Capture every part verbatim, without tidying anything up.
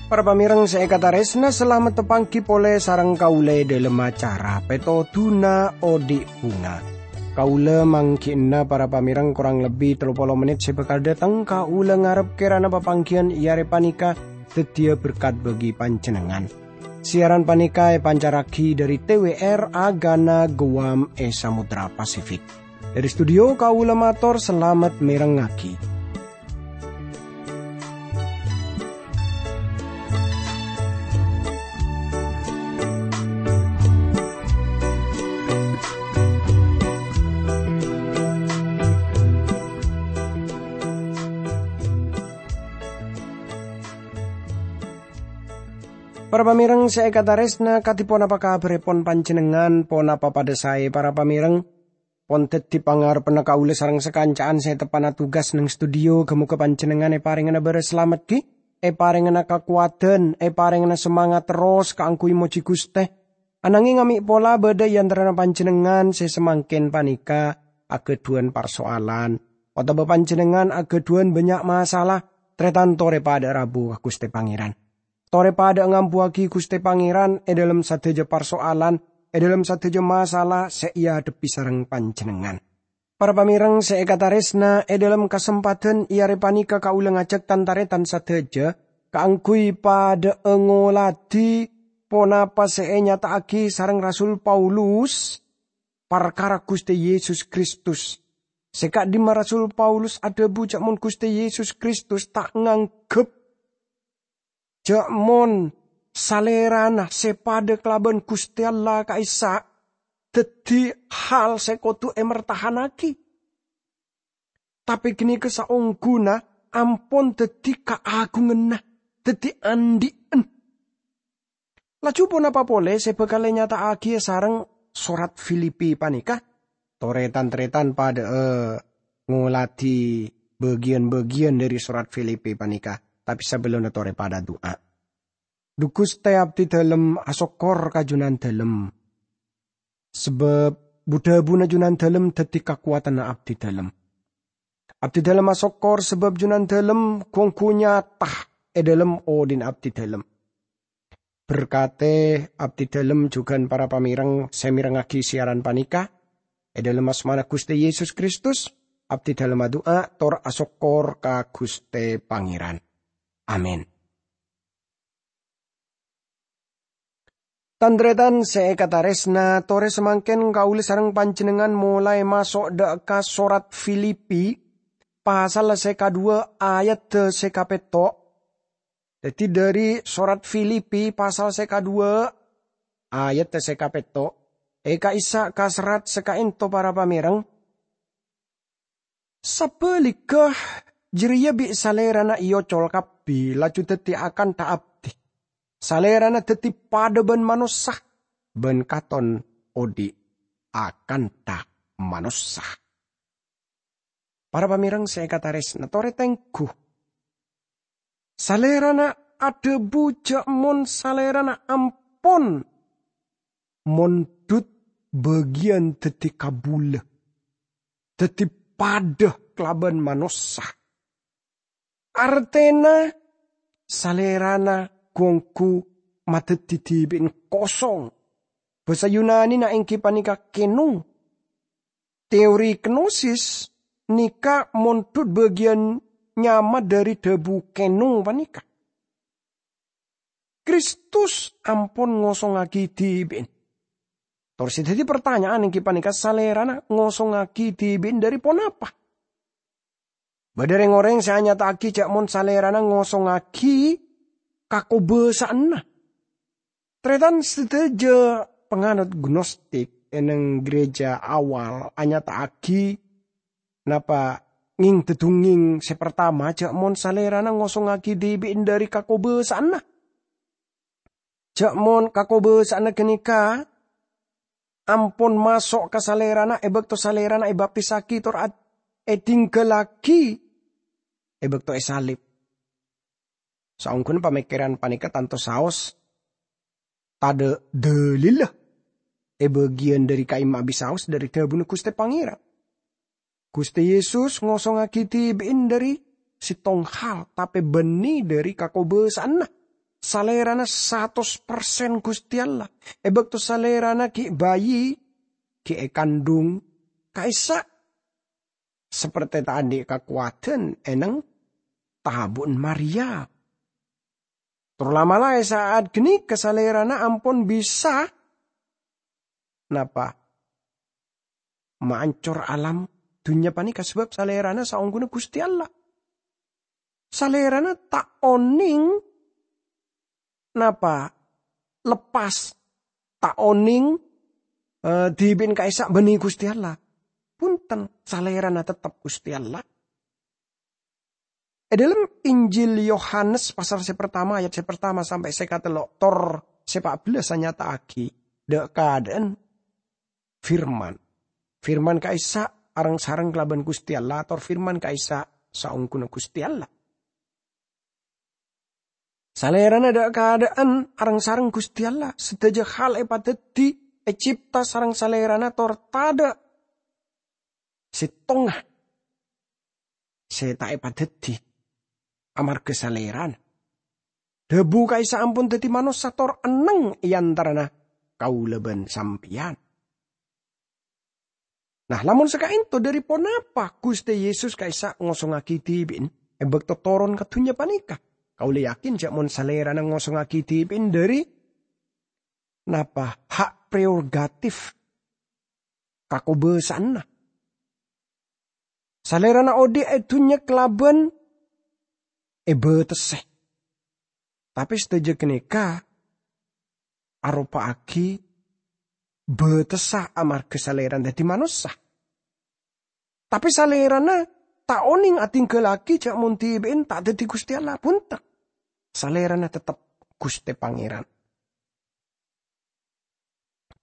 Para pamèreng sè èkatarèsna, salamet tapangghi polè sareng kaulâ è dhâlem acara Pètodhuna Odi' Bhunga. Kaulâ mangghi'na para pamèreng korang lebbi tello polo mennit sè bhâkal dhâteng, kaulâ ngarep kèrana papangghiyân è arè panèka dhâddhiyâ berkat bagi panjhennengngan. Siaran panèka èpancarraghi dhâri T W R Agana Guam è Samudra Pasifik. Dhâri studio kaulâ mator salamet mèrengngaghi. Para pamèreng sè èkatarèsna, kadhi ponapa kabhârèpon panjhennengngan? Ponapa padhâ saè, para pamèreng? Pon dhâddhi pangarebbhânna kaulâ sareng sakanca'an sè teppa'na tugas neng studio. Ghâ-mogâ panjhennengngan èparèngana bârâs salamet, ghi, èparèngana kakowadhân, èparèngana samangat terros kaangghuy mojhi Ghustè. Ananghing amè' pola bâdâ è antarana panjhennengngan sè samangkèn panèka aghâdhuwân parsoalan, otabâ panjhennengngan aghâdhuwân bânnya' masalah, tarètan torè padâ rabu ka Ghustè Pangèran. Torè padâ ngambuwâghi Ghustè Pangèran è dhâlem sadhâjâ parsoalan, è dhâlem sadhâjâ masalah sè èadhebbhi sareng panjhennengngan. Para pamèreng sè èkatarèsna, è dhâlem kasempadhân è arè panèka kaulâ ngajhâk tan-tarètan sadhâjâ kaangghuy padâ'â ngoladhi ponapa sè ènyata'aghi sareng Rasul Paulus parkara Ghustè Yesus Kristus. Sè ka'dimma Rasul Paulus adhâbu jhâ' mon Ghustè Yesus Kristus ta' nganggep jhâ' mon Salèrana sè padâ kalabân Ghustè Allah ka'issa' dhâddhi hal sè kodhu èmertahanaghi. Tapè ghânèka saongghuna ampon dhâddhi kaagunganna, dhâddhi andhi'en. Laju ponapa polè sè bhâkal ènyata'aghi sareng sorat Filipi panèka? Torè tan-tarètan padâ'â ngoladhi bâgiyân-bâgiyân dhâri sorat Filipi panèka, tapè sabellunna torè padâ du'a. Dhu Ghustè, abdhidhâlem asokkor ka Jhunandhâlem, sabâb bu-dhâbuna Jhunandhâlem dhâddhi kakowadhânna abdhidhâlem. Abdhidhâlem asokkor sabâb Jhunandhâlem ghu-ongghu nyata è dhâlem odhi'na abdhidhâlem. Berkatè abdhidhâlem jhughân para pamèreng sè mèrengngaghi siaran panèka. È dhâlem asmana Ghustè Yesus Kristus, abdhidhâlem adu'a tor asokkor ka Ghustè Pangèran. Amin. Tan-tarètan sè èkatarèsna, torè samangkèn kaulâ sareng panjhennengngan molaè maso' dâ' ka sorat Filipi, pasal sè kaduwâ' ayat sè kapètto'. Dhâddhi, dhâri sorat Filipi pasal sè kaduwâ', ayat sè kapètto', è ka'issa' ka serrat sè ka'ènto para pamèreng. Sabhâligghâ, jârèya bi' Salèrana èocol kabbhi, laju dhâddhi akantha abdhi. Salèrana dhâddhi padâ bân manossa, bân katon odhi' akantha manossa. Para pamèreng sè èkatarèsna, torè tengghu. Salèrana adhâbu jhâ' mon Salèrana ampon mondhut bâgiyân dhâddhi kabulâ, dhâddhi padâ kalabân manossa. Artèna Salèrana ghu-ongghu madhâddhi dhibi'en kosong. Bhâsa Yunanina èngghi panèka keno. Teori kenosis nèka mondhut bâgiyân nyama dhâri dhâbu keno panèka. Kristus ampon ngosongngaghi dhibi'en. Tor sè dhâddhi partanya'an èngghi panèka, Salèrana ngosongngaghi dhibi'en dhâri ponapa? Bâdâ rèng-orèng sè anyata'aghi jhâ' mon Salèrana ngosongngaghi kakobâsa'anna. Tarètan sadhâjâ panganut Gnostik è neng gereja awal anyata'aghi napa ngèng-dhâdhungngèng sè partama jhâ' mon Salèrana ngosongngaghi dhibi'en dhâri kakobâsa'anna. Jhâ' mon kakobâsa'anna ghânèka ampon maso' ka Salèrana è bâkto Salèrana èbaptisaghi tor ad-, èdhinggâllaghi è bâkto èsalib. Saongghuna pamèkkèran panèka tanto saos, tadâ' dalilla è bâgiyân dâri ka'imma bisaos dâri dhâbuna Ghustè Pangèran. Ghustè Yesus ngosongngaghi dhibi'in dâri sèttong hal, tapè bânnè dâri kakobâsa'anna. Salèrana satos persen Ghustè Allah. È bâkto salèrana ghi' bayi, ghi' èkandhung ka'issa', saperte ta' andi' kakowadhân è neng tabu'na Maria. Tor la'-mala' è sa'at ghânèka salèrana ampon bisa, napa, maancor alam dhunnya panèka, sabâb salèrana saongghuna Ghustè Allah. Salèrana ta' onèng, napa, leppas, ta' onèng, eh, dhibi'in ka'issa' bânnè Ghustè Allah. Bhunten, salèrana tettep Ghustè Allah. È dâlem Injil Yohanes pasal sè partama ayat sè partama sampè' sè katello' tor sè pa' bellâs anyata'aghi dâ'-kadâ'ân Firman. Firman ka'issa' areng-sareng kalabân Ghustè Allah, tor Firman ka'issa' saongghuna Ghustè Allah. Salèrana dâ'-kadâ'ân areng-sareng Ghustè Allah, sadhâjâ hal èpadhâddhi, ècèpta sareng salèrana tor tadâ' sèttonga sè ta' èpadhâddhi amarghâ salèrana. Dhâbu ka'issa' ampon dhâddhi manossa tor enneng è antarana kaulâ bân sampèyan. Nah, lamon saka'ènto, dâri ponapa Ghustè Yesus ka'issa' ngosongngaghi dhibi'in è bâkto toron ka dhunnya panèka? Kaulâ yakin jâ' mon salèrana ngosongngaghi dhibi'in dâri, napa, hak prerogatif kakobâsa'anna. Salèrana odi' è dhunnya kalabân èbâtessè. Tapè sadhâjâ ghânèka aropa'aghi bâtessa amarghâ salèrana dhâddhi manossa. Tapè salèrana ta' onèng adhingghâllaghi jâ' mon dhibi'in ta' dhâddhi Ghustè Allah, bhunten. Salèrana tettep Ghustè Pangèran.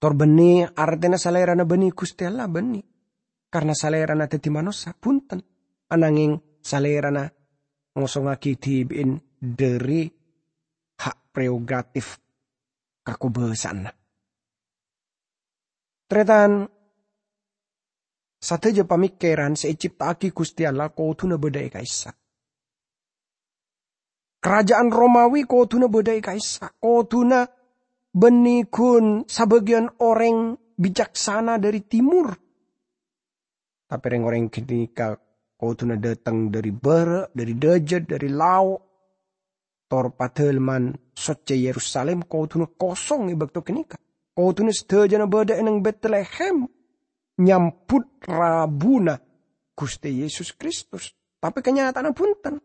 Tor bânnè artèna salèrana bânnè Ghustè Allah, bânnè. Karna salèrana dhâddhi manossa, bhunten. Anangèng salèrana ngosongngaghi dhibi'in dâri hak prerogatif kakobâsa'anna. Tarètan, sadhâjâ pamèkkèran sè ècèpta'aghi Ghustè Allah kodhuna bâdâ è ka'issa'. Karaja'an Romawi kodhuna bâdâ è ka'issa', kodhuna bânnè ghun sabâgiyân orèng bicaksana dâri timur. Tapè rèng-orèng ghânèka kodhuna dâteng dâri bârâ', dâri dâjât, dâri lao'. Tor Padâlemman Soccè Yerusalim kodhuna kosong è bâkto ghânèka. Kodhuna sadhâjâna bâdâ è neng Betlehem nyambut rabuna Ghustè Yesus Kristus. Tapè kanyata'anna bhunten.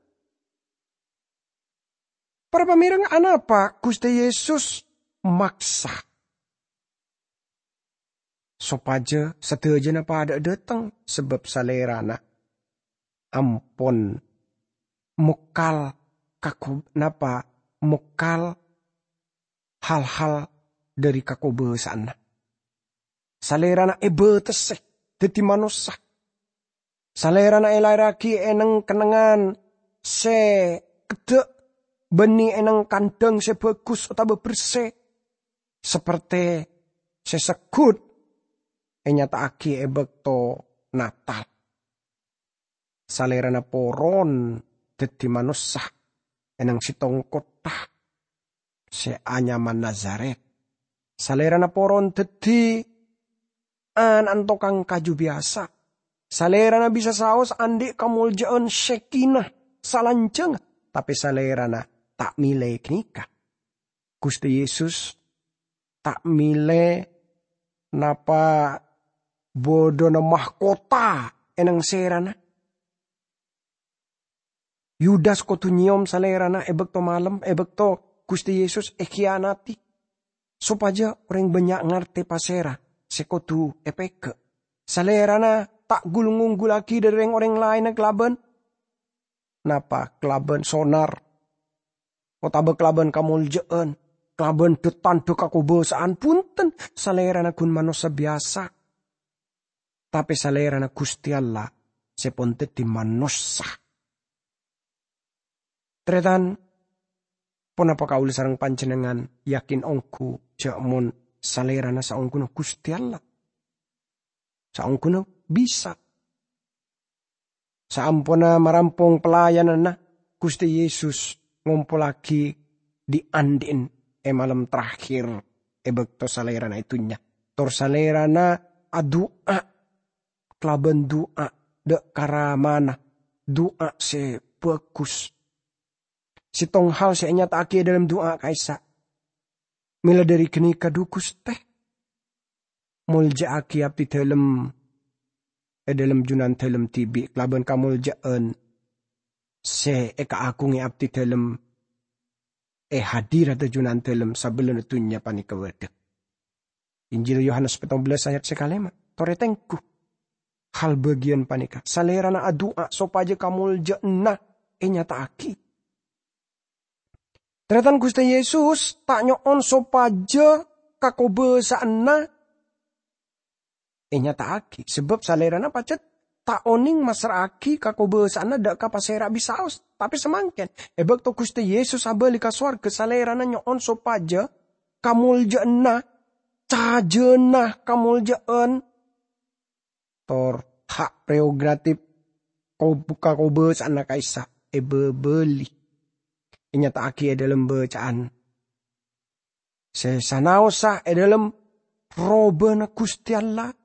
Para pamèreng, anapa Ghustè Yesus maksa sopajâ sadhâjâna padâ'â dâteng? Sabâb Salèrana ampon mokal kaku-, napa, mokal hal-hal dâri kakobâsa'anna. Salèrana èbâtessè dâddhi manossa. Salèrana èlaèrraghi è neng-kennengngan sè keddhâ', bânnè è neng kandhâng sè bhâghus otabâ bersè, saperte sè segghut ènyata'aghi è bâkto Natal. Salèrana poron dâddhi manossa è neng sèttong kottha sè anyama Nazaret. Salèrana poron dâddhi ana'na tokang kaju biyasa. Salèrana bisa saos andi' kamolja'an Shekinah salanjhângnga, tapè Salèrana ta' mèlè ghânèka. Ghustè Yesus ta' mèlè napa bâdâna mahkota è neng sèrana. Yudas kodhu nyèyom Salèrana è bâkto malem, è bâkto Ghustè Yesus èkhiyanati. Sopajâ orèng bânnya' ngartè pasèra sè kodhu èpèghâ'. Salèrana ta' ghul-ngonggullaghi dâri rèng-orèng laènna kalabân napa? Kalabân sonar, otabâ kalabân kamolja'an, kalabân dâ-tandhâ kakobâsa'an. Bhunten, Salèrana ghun manossa biyasa. Tapè Salèrana Ghustè Allah sè pon dâddhi manossa. Tarètan, Ponapa kaulâ sareng panjhennengngan yakin ongghu jhâ' mon Salèrana saongghuna Ghustè Allah? Saongghuna bisa. Saamponna marampong pelayananna, Ghustè Yesus ngompollaghi dhi'-andhi'en è malem terakhir è bâkto Salèrana è dhunnya. Tor Salèrana adu'a kalabân du'a dâ' ka Ramana, du'a sè bhâghus. Sèttong hal sè ènyata'aghi è dhâlem du'a ka'issa', "Mèla dhâri ghânèka, dhu Ghustè, molja'aghi abdhidhâlem è dhâlem jhunandhâlem dhibi' kalabân kamolja'an sè èkaagungè abdhidhâlem è hadiradhâ jhunandhâlem sabellunna dhunnya panèka bâdâ." Injil Yohanes pèttong bellâs ayat sè kalèma'. Torè tengghu hal bâgiyân panèka. Salèrana adu'a sopajâ kamolja'anna ènyata'aghi. Tarètan Ghustè Yesus ta' nyo'on sopajâ kakobâsa'anna ènyata'aghi, sabâb Salèrana pajhât ta' onèng massra'aghi kakobâsa'anna dâ' ka pasèra bisaos. Tapè samangkèn, è bâkto Ghustè Yesus abâli ka sowarghâ, Salèrana nyo'on sopajâ kamolja'anna, cajâna kamolja'an, tor hak prerogatif kob-, kakobâsa'anna ka'issa' èbâbâli, ènyata'aghi è dhâlem bâcaan sè sanaossa è dhâlem robâna Ghustè Allah,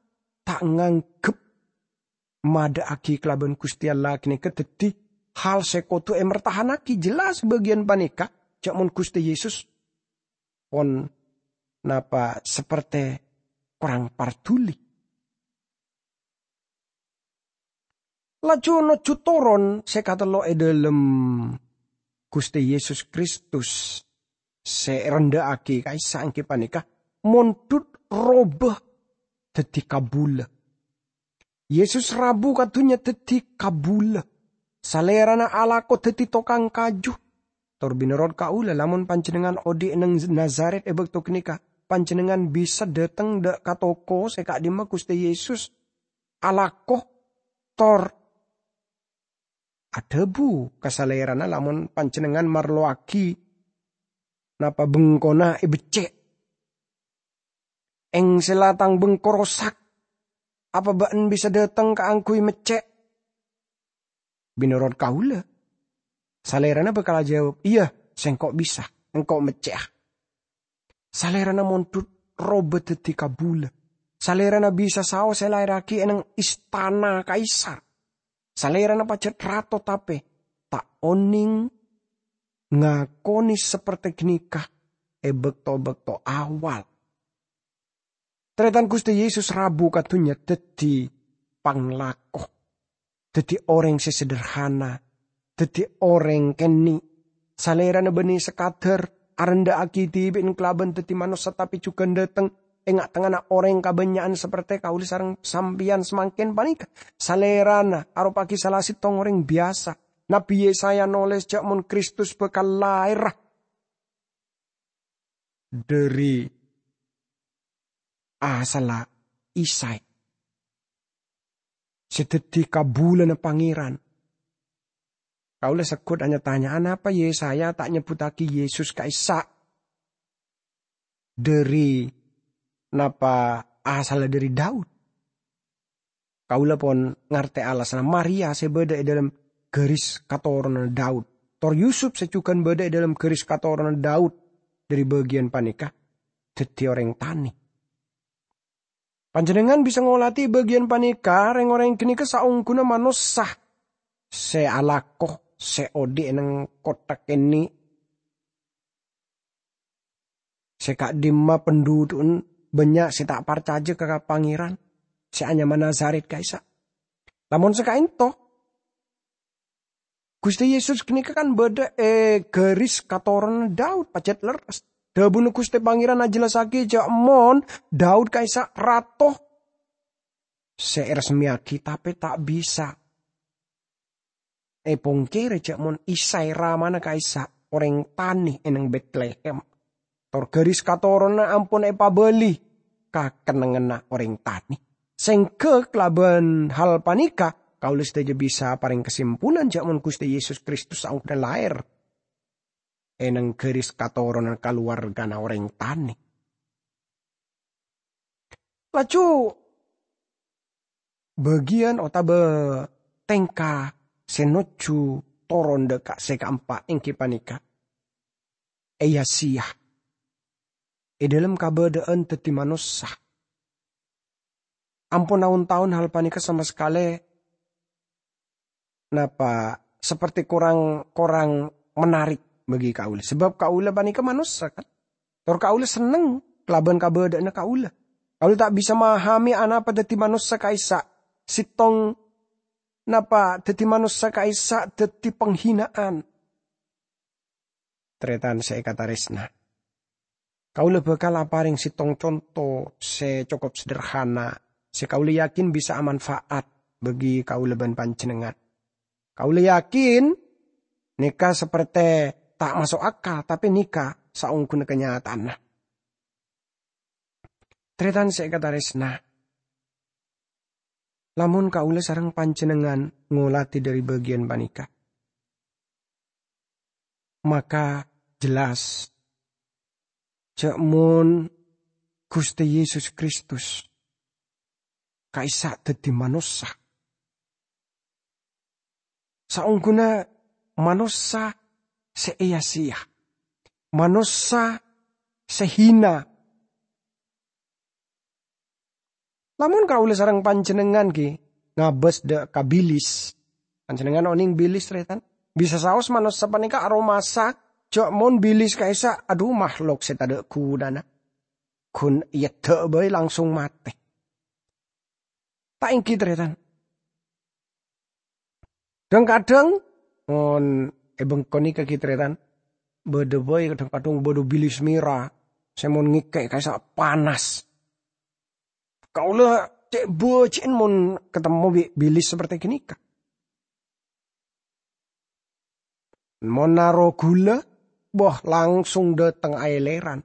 ta' nganggep madâ'aghi kalabân Ghustè Allah ghânèka dhâddhi hal sè kodhu èmertahanaghi. Jelas bâgiyân panèka, jhâ' mon Ghustè Yesus pon napa saperte korang parduli. Laju nojjhu toron sè katello' è dhâlem Ghustè Yesus Kristus sè èrendhâ'aghi ka'issa' èngghi panèka mondhut robâ dhâddhi kabulâ. Yesus rabu ka dhunnya dhâddhi kabulâ. Salèrana alako dhâddhi tokang kaju. Tor bhinorot kaulâ, lamon panjhennengngan odhi' è neng Nazaret è bâkto ghânèka, panjhennengngan bisa dâteng dâ' ka toko sè ka'dhimma Ghustè Yesus alako, tor adhâbu ka Salèrana lamon panjhennengngan marlowaghi napa bengkona èbeccè'. "Èngsèla tang bengko rosak. Apa bâ'na bisa dâteng kaangghuy meccè'?" Bhinorot kaulâ, Salèrana bhâkal ajâwâb, "Iyâ, sèngko' bisa. Engko' meccè'a." Salèrana mondhut robâ dhâddhi kabulâ. Salèrana bisa saos èlaèrraghi è neng istana Kaisar. Salèrana pajhât rato tapè ta' onèng ngakonè saperte ghânèka è bâkto-bâkto awal. Tarètan Ghustè Yesus rabu ka dhunnya dhâddhi panglako, dhâddhi orèng sè sederhana, dhâddhi orèng kènè'. Salèrana bânnè sakadhâr arendhâ'aghi dhibi'na kalabân dhâddhi manossa, tapè jhughân dâteng è nga'-tengnga'anna orèng kabânnya'an saperte kaulâ sareng sampèyan samangkèn panèka. Salèrana aropa'aghi sala sèttong orèng biyasa. Nabbhi Yesaya nolès jhâ' mon Kristus bhâkal laèra dhâri asalla Isai, sè dhâddhi kabulâna Pangèran. Kaulâ segghut anya-tanya, anapa Yesaya ta' nyebbhuttaghi Yesus ka'issa' dhâri, napa asalla dhâri Daud? Kaulâ pon ngartè alasanna. Maria sè bâdâ è dhâlem ghâris katoronanna Daud, tor Yusup sè jhughân bâdâ è dhâlem ghâris katoronanna Daud dhâri bâgiyân panèka dhâddhi orèng tanè. Panjhennengngan bisa ngolatè bâgiyân panèka, rèng-orèng ghânèka saongghuna manossa sè alako, sè odhi' è neng kottha kènè', sè ka'dhimma pandhudhu'na bânnya' sè ta' parcajâ ka Pangèran sè anyama Nazaret ka'issa'. Lamon sè ka'ènto, Ghustè Yesus ghânèka kan bâdâ è ghâris katoronanna Daud, pajhât lerres. Dhâbuna Ghustè Pangèran ajellassaghi jhâ' mon Daud ka'issa' rato sè èresmèyaghi, tapè ta' bisa èpongkèrè jhâ' mon Isai ramana ka'issa' orèng tanè è neng Betlehem. Tor ghâris katoronanna ampon èpabâli ka kennengnganna orèng tanè. Sèngghâ kalabân hal panèka, kaulâ sadhâjâ bisa parèng kasimpulan jhâ' mon Ghustè Yesus Kristus saongghuna laèr è neng garis katoronan kalowargana orèng tanè. Laju bâgiyân otabâ tèngka sè nojjhu toron dâ' ka-, sè kaempa' èngghi panèka èya-sèya è dhâlem kabâdâ'ân dhâddhi manossa. Ampon taon-taon hal panèka sama sakalè napa, seperti korang, korang menarik bagi kaulâ. Sabâb kaulâ panèka manossa, kan? Tor kaulâ senneng kalabân kabâdâ'ânna kaulâ. Kaulâ ta' bisa mahamè anapa dhâddhi manossa ka'issa', sèttong napa dhâddhi manossa ka'issa' dhâddhi panghina'an. Tarètan sè èkatarèsna, kaulâ bhâkal aparèng sèttong conto sè cokop sederhana, sè kaulâ yakin bisa amanfaat bagi kaulâ bân panjhennengngan. Kaulâ yakin nèka sapertè ta' maso' akal, tapè nèka saongghuna kanyataanna. Tarètan sè èkatarèsna, lamon kaulâ sareng panjhennengngan ngolatè dhâri bâgiyân panèka, maka jelas jâ' mon Ghustè Yesus Kristus ka'issa' dhâddhi manossa. Saongghuna manossa sè èya-sèya, manossa sè hina. Lamon kaulâ sareng panjhennengngan ghi' ngabâs dâ' ka bilis, panjhennengngan onèng bilis, tarètan? Bisa saos manossa panèka aromasa jâ' mon bilis ka'issa', adhu, makhlok sè tadâ' ghunana. Ghun èyèddhâ' bhâi langsung matè. Ta' èngghi, tarètan? Dhâng-kadhâng, mon è bengko nèka ghi, tarètan, bâdâ bhâi kadhâng-kadhâng bâdâ bilis mèra sè mon ngèkè' ka'issa' panas. Kaulâ cè' bâji'en mon katemmo bi' bilis sapertè ghânèka. Mon naro ghulâ, bâh, langsung dâteng aèlèran.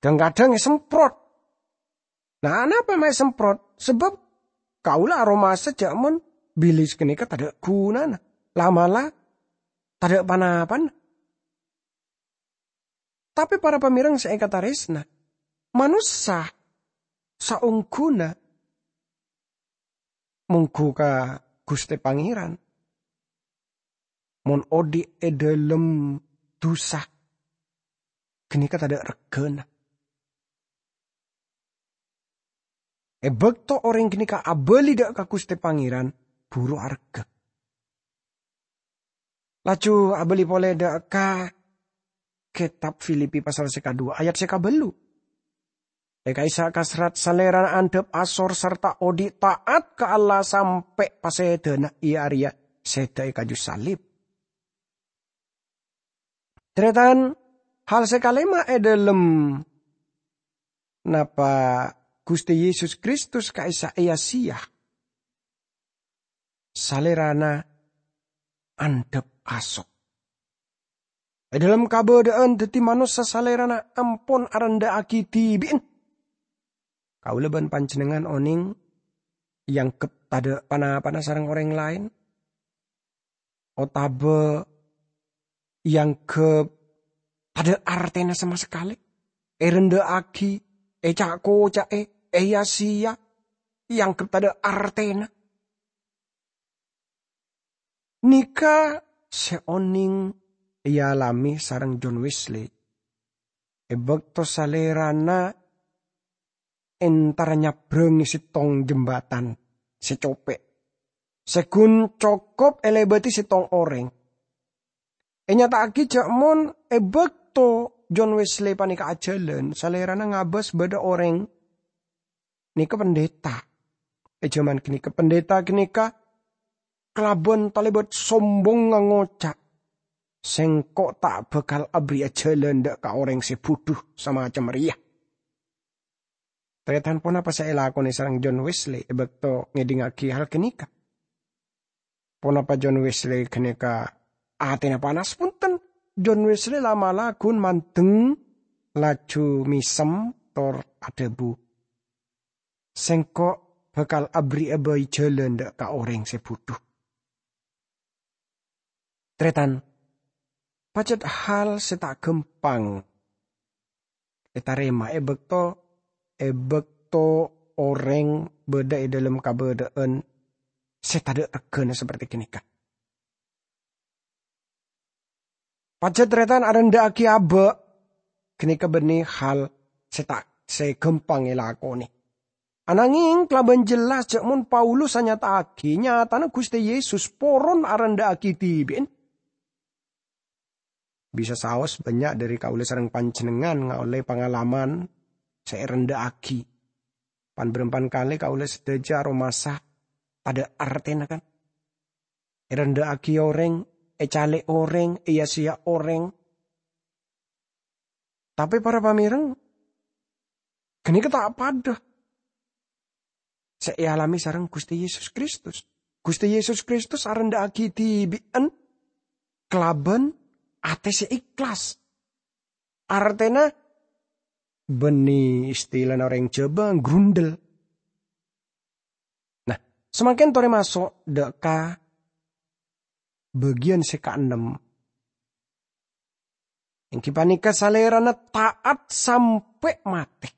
Dhâng-kadhâng èsemprot. Nah, anapa ma' èsemprot? Sabâb kaulâ aromasa jâ' mon bilis ghânèka tadâ' ghunana. La'-mala' tadâ' pa-napana. Tapè para pamèreng sè èkatarèsna, manossa saongghuna mongghu ka Ghustè Pangèran. Mon odi' è dhâlem dhusa, ghânèka tadâ' reggâna. È bâkto orèng ghânèka abâli dâ' ka Ghustè Pangèran, buru areggâ. Laju abâli polè dâ' ka Kètab Filipi pasal sè kadhuwâ ayat sè kabâllu'. È ka'issa' kasrat salèrana andhâp asor sarta odi' ta'at ka Allah sampè' pasèdâna, iyâ arèya sèdhâ è kaju salib. Tarètan, hal sè kalèma' è dhâlem napa Ghustè Yesus Kristus ka'issa' èya-sèya. Salèrana andhâp asor. È dhâlem kabâdâ'ân dhâddhi manossa, Salèrana ampon arendhâ'aghi dhibi'na. Kaulâ bân panjhennengngan onèng èangghep tadâ' pa-napana sareng orèng laèn, otabâ èangghep tadâ' artèna sama sakalè, èrendhâ'aghi, èca'-koca'è, èya-sèya, èangghep tadâ' artèna. Nèka sè onèng èalamè sareng John Wesley è bâkto salèrana entara nyabrângè sèttong jembatan sè copè', sè ghun cokop èlèbâdhi sèttong orèng. Ènyata'aghi jâ' mon è bâkto John Wesley panèka ajhâlân, salèrana ngabâs bâdâ orèng nèka pendeta. È jhâman ghânèka, pendeta ghânèka kalabân talèbât sombongnga ngoca', "Sèngko' ta' bhâkal aberri'â jhâlân dâ' ka orèng sè budhu samacem rèya." Tarètan, ponapa sè èlakonè sareng John Wesley è bâkto ngèdingngaghi hal ghânèka? Ponapa John Wesley ghânèka atèna panas? Ponten, John Wesley la'-mala' ghun mandeng, laju mèsem, tor adhâbu, "Sèngko' bhâkal aberri'â bhâi jhâlân dâ' ka orèng sè budhu." Tarètan, Pajhât hal sè ta' ghâmpang ètarèma è bâkto, è bâkto orèng bâdâ è dhâlem kabâdâ'ân sè tadâ' reggâna saperti ghânèka. Pajhât tarètan arendhâ'aghi abâ', ghânèka bânnè hal sè ta', sè ghâmpang èlakonè. Anangèng kalabân jelas jhâ' mon Paulus anyata'aghi nyatana Ghustè Yesus poron arendhâ'aghi dhibi'en. Bisa saos bânnya' dhâri kaulâ sareng panjhennengngan ngaollè pangalaman sè èrendhâ'aghi. Pan-bârâmpan kalè kaulâ sadhâjâ aromasa tadâ' artèna, kan? Èrendhâ'aghi orèng, ècalè' orèng, èya-sèya orèng. Tapè para pamèreng, ghânèka ta' padâ sè èalamè sareng Ghustè Yesus Kristus. Ghustè Yesus Kristus arendhâ'aghi dhibi'en kalabân atè sè ikhlas. Artèna, bânnè istilana orèng Jhâbâ, grundel. Nah, samangkèn torè maso' dâ' ka bâgiyân sè kaennem. Èngghi panèka Salèrana ta'at sampè' matè.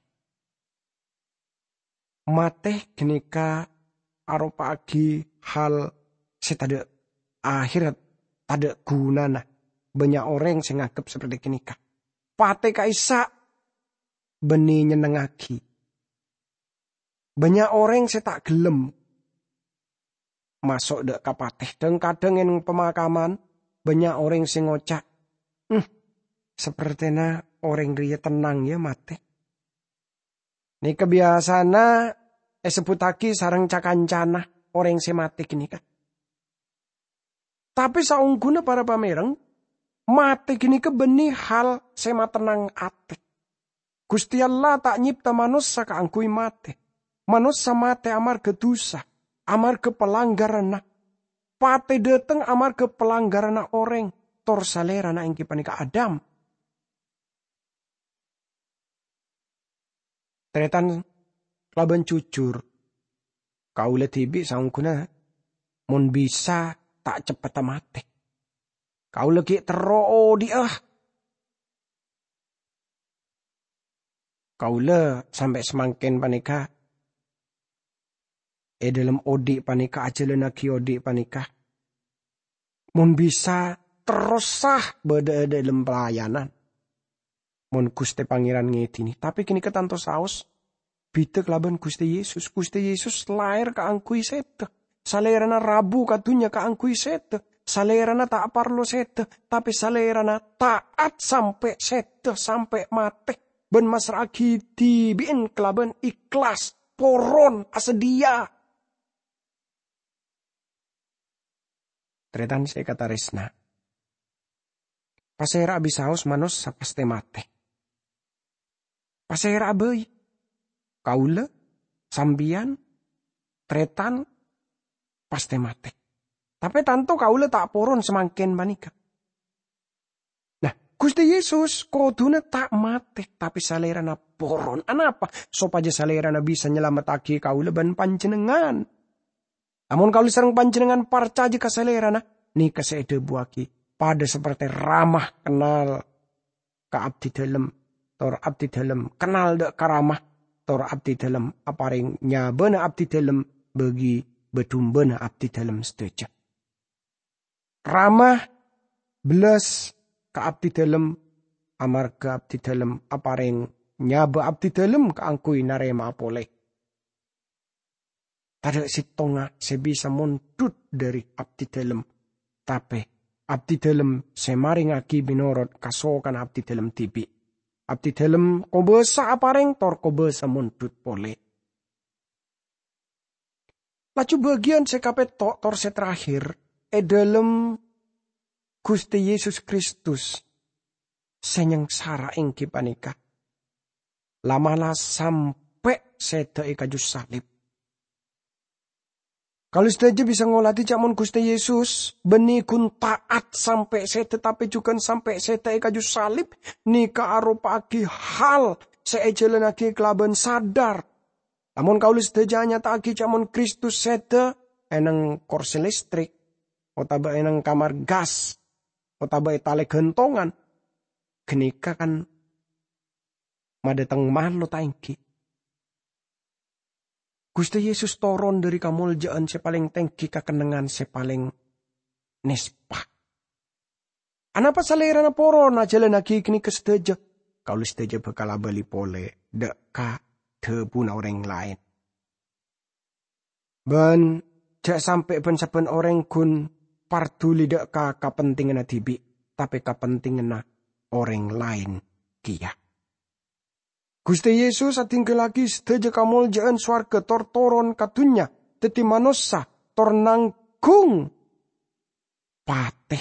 Matè ghânèka aropa'aghi hal sè tadâ' ahèrra, tadâ' ghunana. Bânnya' orèng sè nganggep saperti ghânèka. Patè ka'issa' bânnè nyennengngaghi. Bânnya' orèng sè ta' ghellem maso' dâ' ka patè. Dhâng-kadhâng è neng pamakaman, bânnya' orèng sè ngoca', "Hmm, sapertèna orèng rèya tennang, ya, matè." Nèka biyasana èsebbhuttaghi sareng ca-kancana orèng sè matè ghânèka. Tapè saongghuna para pamèreng, matè ghânèka bânnè hal sè matennang atè. Ghustè Allah ta' nyèpta manossa kaangghuy matè. Manossa matè amarghâ dhusa, amarghâ palanggaranna. Patè dâteng amarghâ palanggaranna orèng, tor salèrana èngghi panèka Adam. Tarètan, kalabân jujur, kaulâ dhibi' saongghuna mon bisa ta' ceppetta matè. Kaulâ ghi' terro odhi'a. Kaulâ sampè' samangkèn panèka è dhâlem odhi' panèka, ajhâlânnaghi odhi' panèka. Mon bisa, terrosa bâdâ è dhâlem pelayanan. Mon Ghustè Pangèran ngèdhini, tapè ghânèka tanto saos bhidhâ kalabân Ghustè Yesus. Ghustè Yesus laèr kaangghuy sèdhâ. Salèrana rabu ka dhunnya kaangghuy sèdhâ. Salèrana ta' parlo sèdhâ, tapè salèrana ta'at sampè' sèdhâ, sampè' matè, bân massra'aghi dhibi'en kalabân ikhlas, poron, asadhiyâ. Tarètan sè èkatarèsna, pasèra'a bisaos manossa pastè matè? Pasèra'a bhâi? Kaulâ, sampèyan, tarètan, pastè matè. Tapè tanto kaulâ ta' poron samangkèn panèka. Nah, Ghustè Yesus kodhuna ta' matè, tapè Salèrana poron. Anapa? Sopajâ Salèrana bisa nyalamettaghi kaulâ bân panjhennengngan. Lamon kaulâ sareng panjhennengngan parcajâ ka Salèrana, nèka sè èdhâbuwaghi, padâ sapertè Rama kennal ka abdidhâlem, tor abdidhâlem kennal dâ' ka Rama, tor abdidhâlem aparèng nyabâna abdidhâlem bagi bâ-dumbâna abdidhâlem sadhâjâ. Rama bellas ka abdidhâlem, amarghâ abdidhâlem aparèng nyabâ abdidhâlem kaangghuy narèma'a polè. Tadâ' sèttonga sè bisa mondhut dhâri abdidhâlem, tapè abdidhâlem sè marèngaghi mènorot kasokanna abdidhâlem dhibi'. Abdidhâlem kobâsa aparèng tor kobâsa mondhut polè. Laju bâgiyân sè kapètto' tor sè terakhir è dhâlem Ghustè Yesus Kristus sè nyangsara èngghi panèka la'-mala' sampè' sèdhâ è kaju salib. Kaulâ sadhâjâ bisa ngolatè jhâ' mon Ghustè Yesus bânnè ghun ta'at sampè' sèdhâ, tapè jhughân sampè' sèdhâ è kaju salib, nèka aropa'aghi hal sè èjhâlânnaghi kalabân sadhâr. Lamon kaulâ sadhâjâ anyata'aghi jhâ' mon Kristus sèdhâ è neng korsè listrik otabâ è neng kamar gas, otabâ è talè ghântongan, ghânèka kan madâteng malo ta' ènggi? Ghustè Yesus toron dâri kamoljâ'ân sè palèng tènggi ka kennengngan sè palèng nèspa. Anapa Salèrana poron ajhâlânnaghi ghânèka sadhâjâ? Kaulâ sadhâjâ bhâkal abâli polè dâ' ka dhâbuna orèng laèn. Bân jhâ' sampè' bân-sabbhân orèng ghun parduli dâ' ka kapentinganna dhibi', tapè kapentinganna orèng laèn kèya. Ghustè Yesus adhinggallaghi sadhâjâ kamoljâ'ân sowarghâ tor toron ka dhunnya, dhâddhi manossa, tor nangghung patè.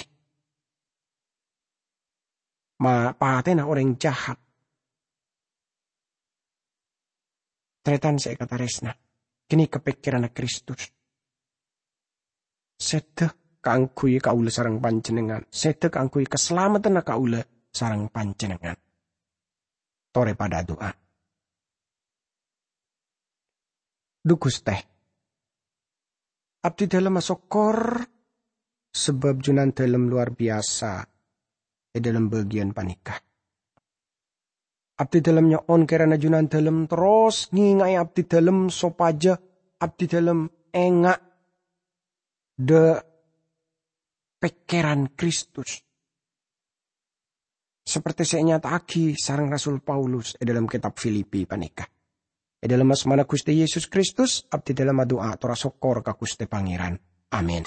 Ma-, patèna orèng jahat. Tarètan sè èkatarèsna, ghânèka pèkkèranna Kristus. Sèdhâ kaangghuy kaulâ sareng panjhennengngan, sèdhâ kaangghuy kasalameddhânna kaulâ sareng panjhennengngan. Torè padâ adu'a. Dhu Ghustè, abdhidhâlem asokkor sabâb Junandhâlem lowar biyasa è dhâlem bâgiyân panèka. Abdhidhâlem nyo'on kèrana Junandhâlem terros ngènga'è abdhidhâlem sopajâ abdhidhâlem enga' dâ' pèkkèran Kristus, saperte sè ènyata'aghi sareng Rasul Paulus è dhâlem kètab Filipi panèka. È dhâlem asmana Ghustè Yesus Kristus, abdhidhâlem adu'a tor asokkor ka Ghustè Pangèran. Amin.